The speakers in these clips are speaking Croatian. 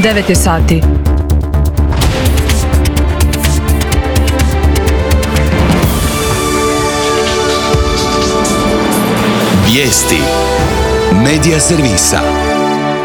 9 je sati. Vijesti Medija servisa.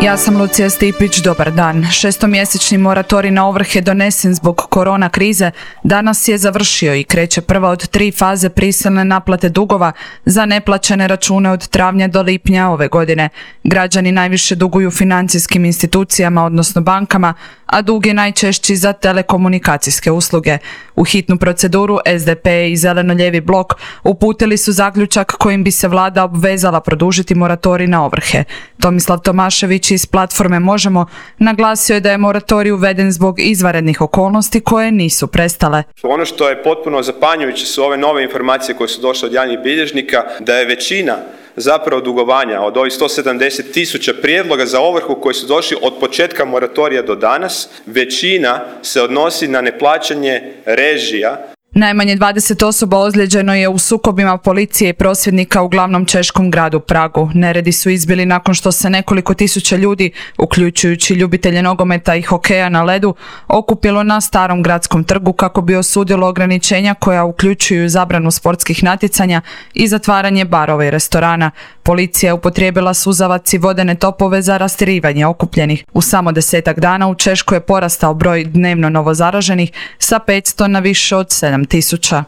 Ja sam Lucija Stipić, dobar dan. 6-mjesečni moratorij na ovrhe donesen zbog korona krize danas je završio i kreće prva od 3 faze prisilne naplate dugova za neplaćene račune od travnja do lipnja ove godine. Građani najviše duguju financijskim institucijama, odnosno bankama, a dug je najčešći za telekomunikacijske usluge. U hitnu proceduru SDP i Zeleno-lijevi blok uputili su zaključak kojim bi se vlada obvezala produžiti moratorij na ovrhe. Tomislav Tomašević iz platforme Možemo naglasio je da je moratorij uveden zbog izvanrednih okolnosti koje nisu prestale. Ono što je potpuno zapanjujuće su ove nove informacije koje su došle od javnih bilježnika, da je većina zapravo dugovanja od ovih 170.000 prijedloga za ovrhu koji su došli od početka moratorija do danas, većina se odnosi na neplaćanje režija. Najmanje 20 osoba ozlijeđeno je u sukobima policije i prosvjednika u glavnom češkom gradu Pragu. Neredi su izbili nakon što se nekoliko tisuća ljudi, uključujući ljubitelje nogometa i hokeja na ledu, okupilo na Starom gradskom trgu kako bi osudilo ograničenja koja uključuju zabranu sportskih natjecanja i zatvaranje barova i restorana. Policija je upotrijebila suzavac i vodene topove za rastjerivanje okupljenih. U samo 10-ak dana u Češkoj je porastao broj dnevno novozaraženih sa 500 na više od 7.000.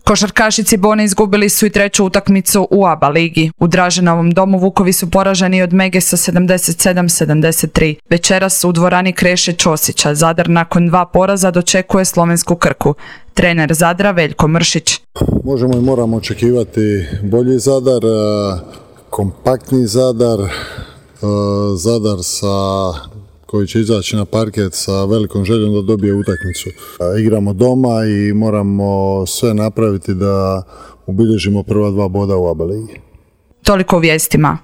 Košarkašici Bone izgubili su i 3. utakmicu u ABA ligi. U Draženovom domu Vukovi su poraženi od Mege sa 77-73. Večeras u dvorani Kreše Ćosića Zadar nakon 2 poraza dočekuje slovensku Krku. Trener Zadra Veljko Mršić. Možemo i moramo očekivati bolji Zadar, kompaktni Zadar, Zadar koji će izaći na parket sa velikom željom da dobije utakmicu. Igramo doma i moramo sve napraviti da ubilježimo prva 2 boda u ABA ligi. Toliko u vijestima.